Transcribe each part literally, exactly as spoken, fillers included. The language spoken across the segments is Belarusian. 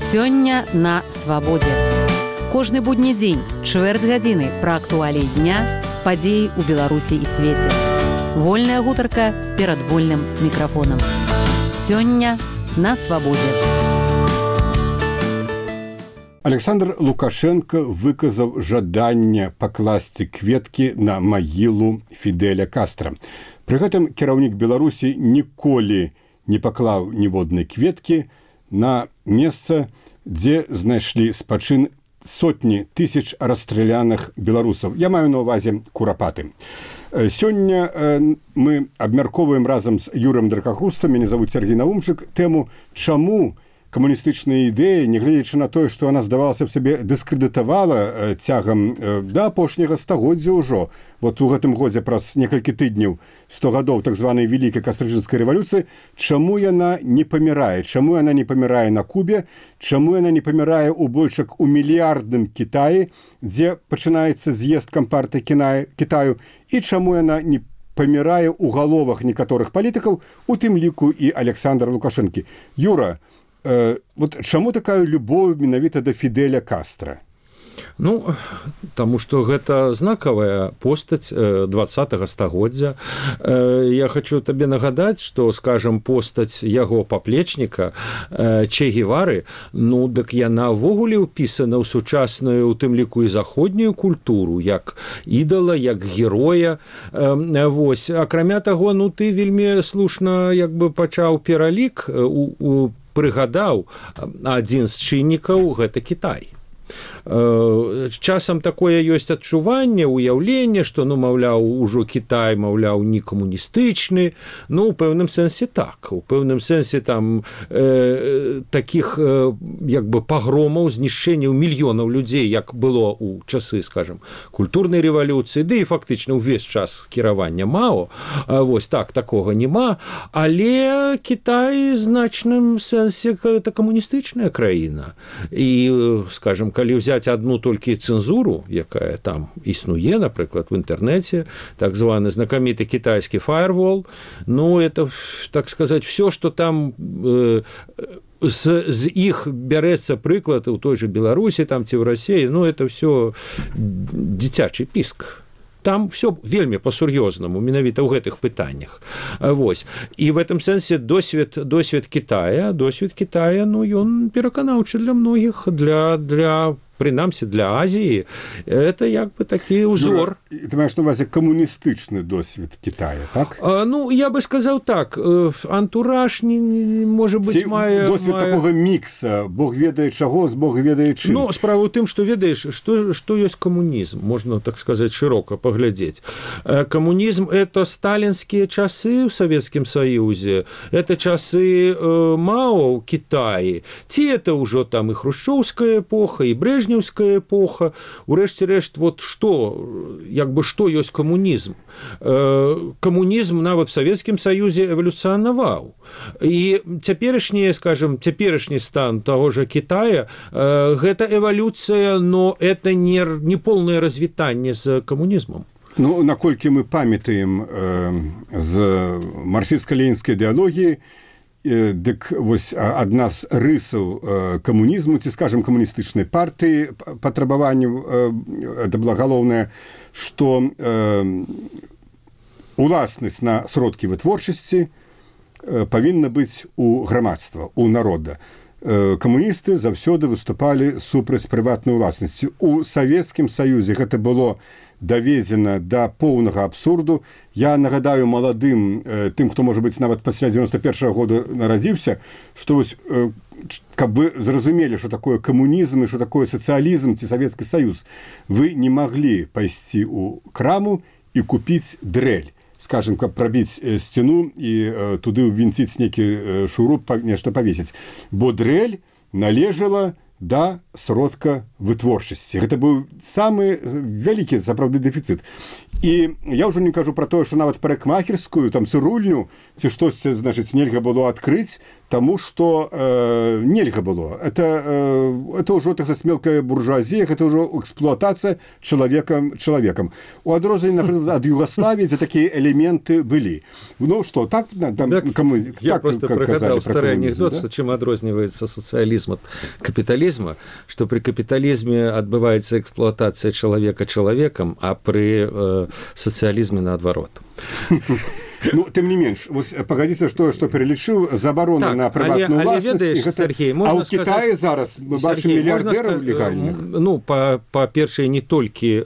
Сёння на свабодзе. Кожны будні дзень, чвэрць гадзіны пра актуаліі дня, падзеі ў Беларусі і свеце. Вольная гутарка перад вольным мікрафонам. Сёння на свабодзе. Александр Лукашенко выказаў жаданне пакласці кветкі на магілу Фідэля Кастра. Пры гэтым кіраўнік Беларусі ніколі не паклаў ніводнай кветкі на месца, дзе знайшлі спачын сотні тысяч расстраляных беларусаў. Я маю на ўвазе курапаты. Сёння мы абмяркоўваем разам з Юрым Дракахрустам, мяне завуць Сергей Наумчык, тэму, чаму камуністычная ідэя, нягледзячы на тое, што яна, здавалася б сабе, дыскрэдытавала цягам да апошняга стагоддзя ўжо. Вот у гэтым годзе праз некалькі тыдняў, сто гадоў так званай вялікай кастрычніцкай рэвалюцыі, чаму яна не памірае? Чаму яна не памірае на Кубе? Чаму яна не памірае ў большак у мільярдным Кітаі, дзе пачынаецца з'езд кампартыі Кітаю? І чаму яна не памірае ў галовах некаторых палітыкаў, у тым ліку і Александра Лукашэнкі? Юра, э, вот чаму такая любоў менавіта да Фідэля Кастра? Ну, таму што гэта знакавая постаць двадцатага стагоддзя. Я хочу табе нагадаць, што, скажам, постаць яго паплечніка Че Гевары, ну, дык яна ўвогуле ўпісана ў сучасную, у тым ліку і заходнюю культуру, як ідала, як героя. Вось. Акрамя таго, ну, ты вельмі слушна як бы пачаў пералік, у, у, прыгадаў адзін з чыннікаў, гэта Кітай. Часам такое ёсць адчуванне, уяўленне, што, ну, маўляў, ужо Кітай, маўляў, не камуністычны. Ну, у пэўным сэнсе так. У пэўным сэнсе там э, такіх э, як бы пагромаў, знішчэнняў мільёнаў людзей, як было ў часы, скажам, культурнай рэвалюцыі, ды і фактычна ўвесь час кіравання Мао. Вось так, такога няма. Але Кітай ў значным сэнсе гэта камуністычная краіна. І, скажам, калі ўзяць одну толькі цэнзуру, якая там існуе, напрыклад, в інтэрнэце, так званы знакаміты кітайскі firewall, ну, это, так сказать, все, что там э, з, з іх бярэцца прыклад у той же Беларусі, там ці ў Расіі, ну, это все дзіцячы піск. Там все вельмі па-сур'ёзнаму, менавіта ў гэтых пытаннях. Вось. І в этом сэнсе досвед, досвед Китая, досвед Китая, ну, ён пераканаўчы для многіх, для, для прынамсі для Азіі, это як бы такі ўзор. Ну, ты маеш на ўвазе камуністычны досвед Китая, так? А, ну, я бы сказаў так, антураж, не, не, можа быць, Ці, мае... Досвед мае... такога мікса, Бог ведае чаго, з Бог ведае чым. Ну, справа ў тым, што ведаеш, што, што ёсць камунізм, можна, так сказаць, шырока паглядзець. Камунізм – это сталінскія часы ў Савецкім Саюзе, это часы э, Мао ў Кітаі, ці это ўжо там і хрушчоўская эпоха, і Брэжнеўская эпоха. Урэшце рэшт, вот што, як бы што ёсць камунізм? Э, камунізм нават в Савецкім Саюзе эвалюцыянаваў. І цяперашні, скажем, цяперашні стан таго ж Кітая, э, гэта эвалюцыя, но это не, не полное развітанне з камунізмам. Ну, наколькі мы памятаем э, з марксістска-ленінскай ідэалогіі, дык вось адна з рысаў камунізму, ці, скажем, камуністычнай партыі патрабаванняў, это была галоўнае, што э, уласнасць на сродкі вытворчасці павінна быць у грамадства, у народа. Камуністы заўсёды выступалі супраць прыватнай уласнасці. У Савецкім Саюзе гэта было давезена да поўнага абсурду. Я нагадаю маладым, э, тым, хто, можа быць, нават пасля дзевяноста першага года нарадзіўся, што вось, э, каб вы зразумелі, што такое камунізм і што такое сацыялізм ці Савецкі Саюз, вы не маглі пайсці ў краму і купіць дрэль. Скажем, каб прабіць э, сцяну і э, туды ўвінціць нейкі э, шуруп, па, нешта павесіць. Бо дрэль належала да сродка вытворчасці. Гэта быў самы вялікі, сапраўды, дэфіцыт. І я ўжо не кажу пра тое, што нават парикмахерскую, там цырульню ці штосьці, значыць, нельга было адкрыць, таму што э, нельга было. Это, э, это ўжо так мелкая буржуазія, гэта ўжо эксплуатацыя чалавекам чалавекам. У адрозненні, напрыклад, ад Югославіі, дзе такія элементы былі. Ну што, так, там, так кому, я так просто пригадал старый анекдот, да? Что чем адрозніваецца сацыялізм ад капіталізма, што пры капіталізме адбываецца эксплуатацыя чалавека чалавекам, а пры э, сацыялізме наадварот. Ну, тым не менш, пагадзіцца, што, што пералічыў забарона так, на прыватную ўласнасць. Гэта... А ў Кітаі сказаць... зараз мы бачым мільярдэраў легальных. Ну, па-першае, па не толькі э,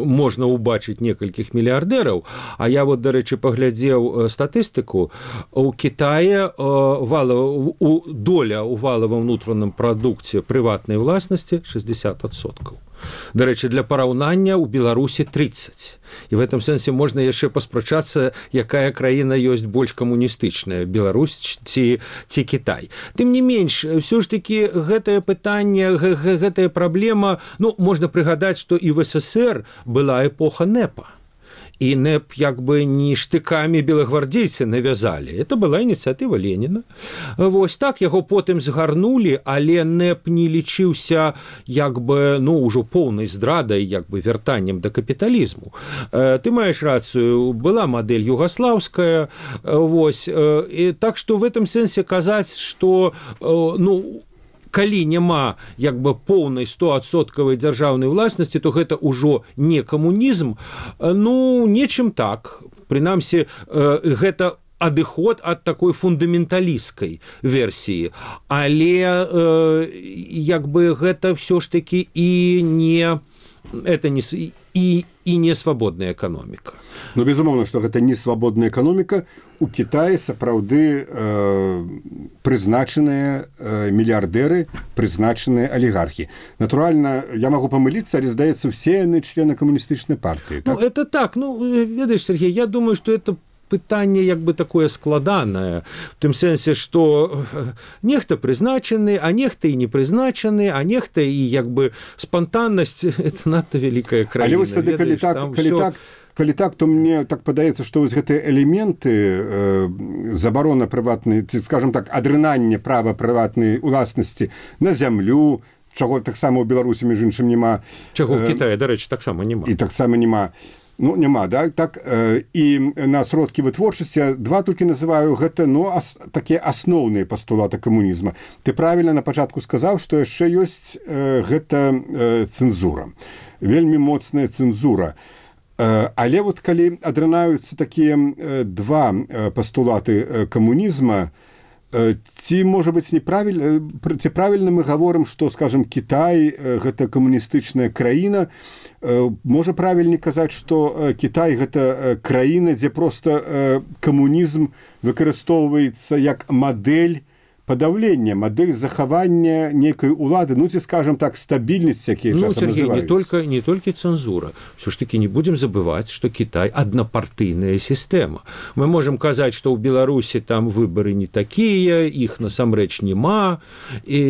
можна ўбачыць некалькіх мільярдэраў, а я вот, дарэчы, паглядзеў статыстыку. У Кітае э, валова, у, доля ў валавым унутраным прадукце прыватнай уласнасці шэсцьдзесят адсоткаў. Дарэчы, для параўнання ў Беларусі тридцать. І в этом сэнсе можна яшчэ паспрачацца, якая краіна ёсць больш камуністычная, Беларусь ці, ці Кітай. Тым не менш, ўсё ж такі гэтае пытанне, гэтая праблема, ну, можна прыгадаць, што і в СССР была эпоха НЭПа. І НЭП як бы не штыкамі белагвардзейцы навязалі. Это была ініцыятыва Леніна. Вось так яго потым згарнулі, але НЭП не лічыўся як бы, ну, ўжо поўнай здрадай, як бы вяртаннем да капіталізму. Ты маеш рацыю, была мадэль югаслаўская, вось. І так што в этом сэнсе казаць, што, ну, калі няма як бы поўнай стоадсоткавай дзяржаўнай уласнасці, то гэта ўжо не камунізм. Ну, нечым так. Прынамсі, гэта адыход ад такой фундаменталісцкай версіі. Але як бы гэта ўсё ж такі і не... Это не... І, і не свабодная эканоміка. Ну, безумоўна, што гэта не свабодная эканоміка. У Кітаі сапраўды э, прызначаныя э, мільярдэры, прызначаныя алігархі. Натуральна, я магу памыліцца, але, здаецца, все яны члены камуністычнай партыі. Так? Ну, это так. Ну, ведаеш, Сергей, я думаю, што это пытанне як бы такое складанае, в тым сэнсе, што нехта прызначаны, а нехта і не прызначаны, а нехта і як бы спантаннасць — это надта вялікая краіна. Але вось тады, калі так, калі всё... так, калі так, то мне так падаецца, што вось гэтыя элементы э, забарона прыватнай, ці, скажам так, адрынання права прыватнай уласнасці на зямлю, чаго таксама ў Беларусі, між іншым, няма. Чаго ў Кітаі, дарэчы, таксама няма. І таксама няма. Ну, няма, да? Так, э, і на сродкі вытворчасці два толькі называю гэта, ну, ас, такія асноўныя пастулаты камунізма. Ты правільна на пачатку сказаў, што яшчэ ёсць э, гэта э, цэнзура. Вельмі моцная цэнзура. Э, але вот калі адрынаюцца такія э, два э, пастулаты э, камунізма, э, ці, можа быць, неправільна, ці правільна мы гаворым, што, скажем, Кітай э, гэта камуністычная краіна. Можа правільней казаць, што Кітай гэта краіна, дзе проста камунізм выкарыстоўваецца як мадэль падаўлення, мадэль захавання нейкай улады, ну ці, скажам так, стабільнасць, якія ну, часам Сергей, называюцца. Не только, не толькі цэнзура. Все ж таки не будем забываць, што Кітай аднапартыйная сістэма. Мы можем казаць, што ў Беларусі там выбары не такія, іх насамрэч няма, і,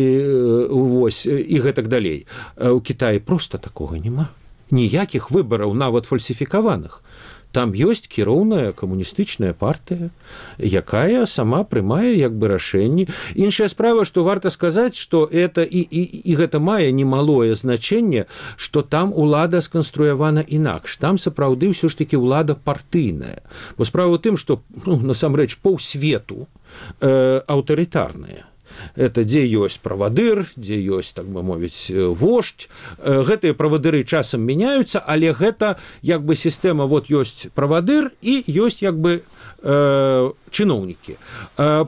вось, і гэтак далей. У Кітаі проста такога няма. Ніякіх выбараў, нават фальсіфікаваных. Там ёсць кіроўная камуністычная партыя, якая сама прымае як бы рашэнні. Іншая справа, што варта сказаць, што это і, і, і гэта мае немалое значэнне, што там улада сканструявана інакш. Там сапраўды ўсё ж такі ўлада партыйная. Бо справа ў тым, што, ну, насамрэч паўсвету э, аўтарытарная. Это дзе ёсць правадыр, дзе ёсць, так бы мовіць, вождь. Гэтыя правадыры часам мяняюцца, але гэта як бы сістэма, вот ёсць правадыр і ёсць як бы э, чыноўнікі. Э,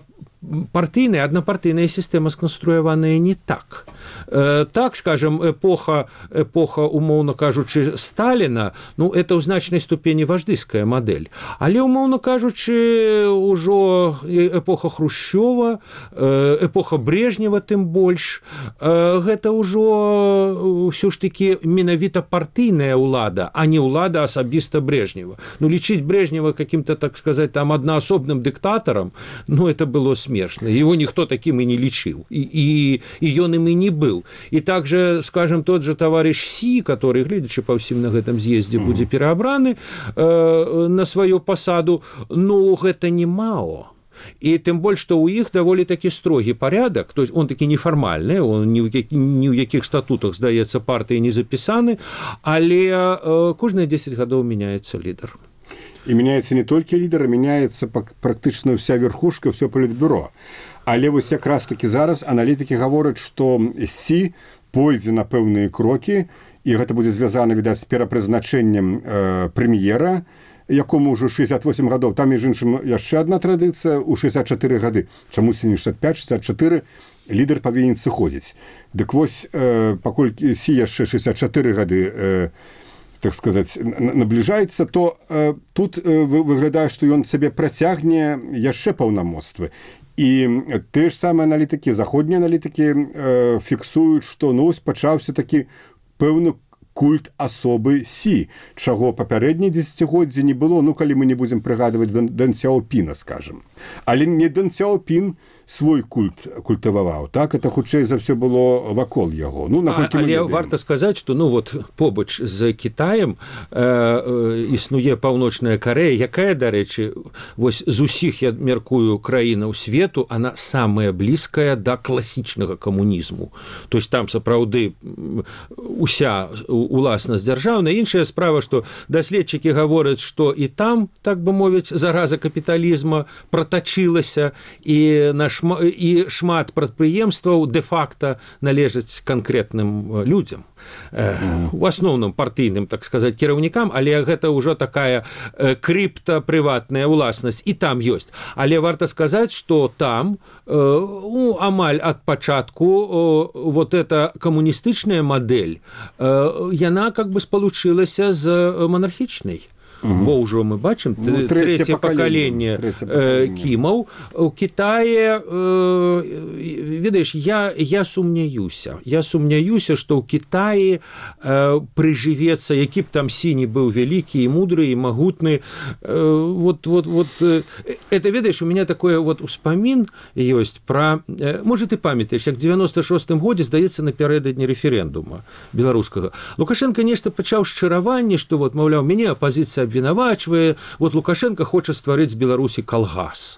партыйная, аднапартыйная сістэма сканструяваная не так. Э, так, скажем, эпоха, эпоха, умоўна кажучы, Сталіна, ну, это ў значнай ступені вождыская мадэль. Але, умоўна кажучы, ужо эпоха Хрушчова, эпоха Брежнева тым больш, гэта ўжо ўсё ж такі менавіта партыйная ўлада, а не ўлада асабіста Брежнева. Ну, лічыць Брежнева каким-то, так сказать, там аднаасобным дыктатарам, ну, это было смешна. Его ніхто таким і не лічыў. І, і, і ён ім і не был. И также, скажем, тот же товарищ Си, который, глядячи по всем на этом съезде, mm-hmm. будет переобраны э, на свою посаду, ну, это не Мао. И тем больше, что у них довольно таки строгий порядок, то есть он таки неформальный, он ни в яких, ни в яких статутах, здаецца, партии не записаны, але э, кожные десять годов меняется лидер. И меняется не только лидер, а меняется практически вся верхушка, все политбюро. Але вось якраз таки зараз аналітики говорят, что Си пойдзе на пэўныя крокі, и это будет связано, видать, с перапрызначэннем э, премьера, якому ўжо шестьдесят восемь гадоў. Там, між іншым, яшчэ одна традыцыя ў шестьдесят четыре гады. Чамусь не шестьдесят пять шестьдесят четыре лідар павінен сыходзіць. Дык вось, э, паколькі Си яшчэ шестьдесят четыре гады, э, так сказаць, набліжаецца, то э, тут э, выглядае, што ён сабе працягне яшчэ паўнамоцтвы. І те ж самыя аналітыкі, заходнія аналітыкі э, фіксуюць, што ну, пачаўся такі пэўны культ асобы Си, чаго папярэднія дзесяцігоддзі не было, ну, калі мы не будзем прыгадваць Дэн Сяопіна, скажем. Але не Дэн Сяопін свой культ культываваў, так? Это хутчэй за все было вакол яго. Ну, а, але варта сказаць, што ну, вот, побач з Кітаем э, э, існуе Паўночная Карэя, якая, дарэчы, вось з усіх, я мяркую, краінаў свету, она самая блізкая да класічнага камунізму. То есть там сапраўды уся уласнасць дзяржаўная. Іншая справа, што даследчыкі гавораць, што і там, так бы мовіць, зараза капіталізма пратачылася, і наш і шмат прадпрыемстваў дэ-факта належаць канкрэтным людзям. У асноўным партыйным, так сказаць, кіраўнікам, але гэта ўжо такая крыптапрыватная ўласнасць, і там ёсць. Але варта сказаць, што там у амаль ад пачатку вот эта камуністычная мадэль, яна как бы спалучылася з манархічнай. Угу. Бо ўжо мы бачым ну, трэцяе пакаленне э, кімаў. У Кітае, э, ведаеш, я, я сумняюся. Я сумняюся, што ў Кітаі э, прыжывецца, які б там Си не быў вялікі і мудры, і магутны. Э, вот, вот, вот, э, это, ведаеш, у меня такое вот успамін ёсць пра... Э, можа, ты памятаеш, як девяносто шостым годзе, здаецца, напярэдадні рэферэндума беларускага. Лукашенко нешта пачаў шчыраванне, што, вот, маўляў, мяне апазіцыя обвинавачвае, вот Лукашенко хоча стварыць з Беларусі калгас.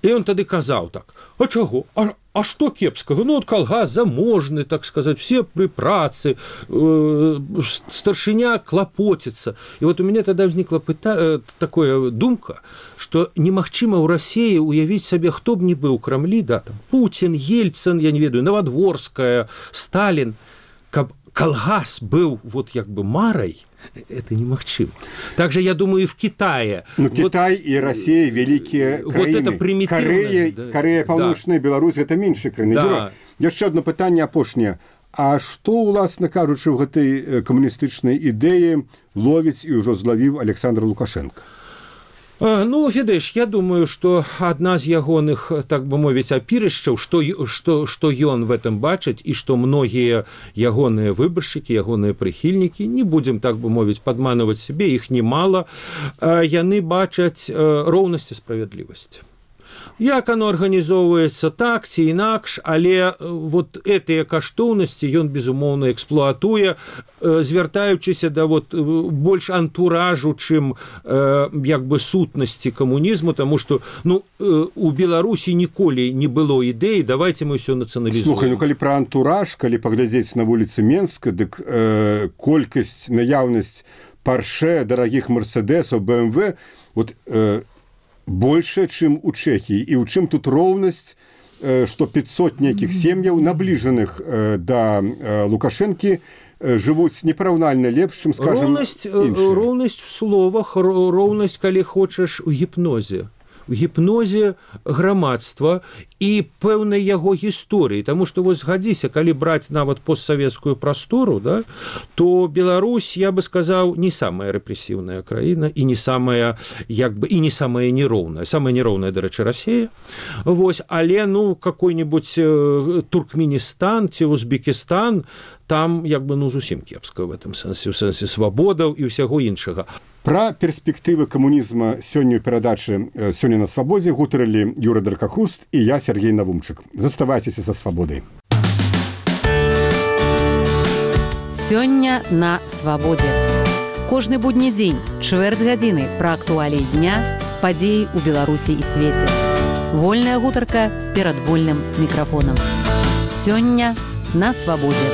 І он тады казаў так, а чаго? А, а што кепскага? Ну, от калгас заможны, так сказаць, все пры працы, э, старшыня клапоціцца. І вот у мяне тады ўзнікла пыта... такое думка, што немагчыма ў Расіі уявіць сабе, хто б не быў у Крамлі, да, там, Пуцін, Ельцин, я не ведаю, Новодворская, Сталин, каб калгас быў вот як бы марай, это немагчыма. Также, я думаю, и в Китае. Ну, вот, Китай и Россия великие краины. Вот это примитивное. Корея, да, Корея Паўночная, да. Беларусь – это меньшие краины. Да. Яшчэ одно пытанне апошняе. А што, уласна кажучы, ў гэтай камуністычнай ідэі ловіць і ўжо злавіў Александр Лукашенко? Ну, ведаеш, я думаю, што адна з ягоных, так бы мовіць, апірышчаў, што, што, што ён в этом бачыць, і што многія ягоныя выбаршчыкі, ягоныя прыхільнікі, не будзем, так бы мовіць, падманываць сябе, іх немало, яны бачаць роўнасць і справядлівасць. Як оно арганізоўваецца так ці інакш, але вот гэтыя каштоўнасці ён, безумоўна, эксплуатуе, звяртаючыся да вот больш антуражу, чым як бы сутнасці камунізму, таму што ну, у Беларусі ніколі не было ідэі, давайте мы ўсё нацыяналізуем. Слухай, ну калі пра антураж, калі паглядзець на вуліцы Менска, дык э, колькасць, наяўнасць Порше, дарагіх Мерседесаў, бэ эм вэ, вот э, больше, чым у Чэхіі. І ў чым тут роўнасць, што пятьсот нейкіх сем'яў, набліжаных да Лукашэнкі, жывуць непараўнальна лепш, чым, скажем, іншыя. Роўнасць в словах, роўнасць, калі хочаш, у гіпнозе. У гіпнозе грамадства і пэўнай яго гісторыі. Таму што вось згадзіся, калі браць нават постсавецкую прастору, да, то Беларусь, я бы сказаў, не самая рэпрэсіўная краіна і не самая, як бы, і не самая нероўная. Самая нероўная, дарэчы, Расія. Вось, але, ну, какой-нибудь Туркменістан ці Узбекістан, там, як бы, ну, зусім кепска в этом сэнсе, у сэнсе свабодаў і ўсяго іншага. Пра перспектывы камунізма сёння ў перадачы «Сёння на свабодзе» гутарылі Юра Даркахруст і я, Сергей Навумчык. Заставайцеся са свабодай. Сёння на свабодзе. Кожны будні дзень, чвэрць гадзіны пра актуаліі дня, падзеі ў Беларусі і свеце. Вольная гутарка перад вольным мікрафонам. Сёння на свабодзе.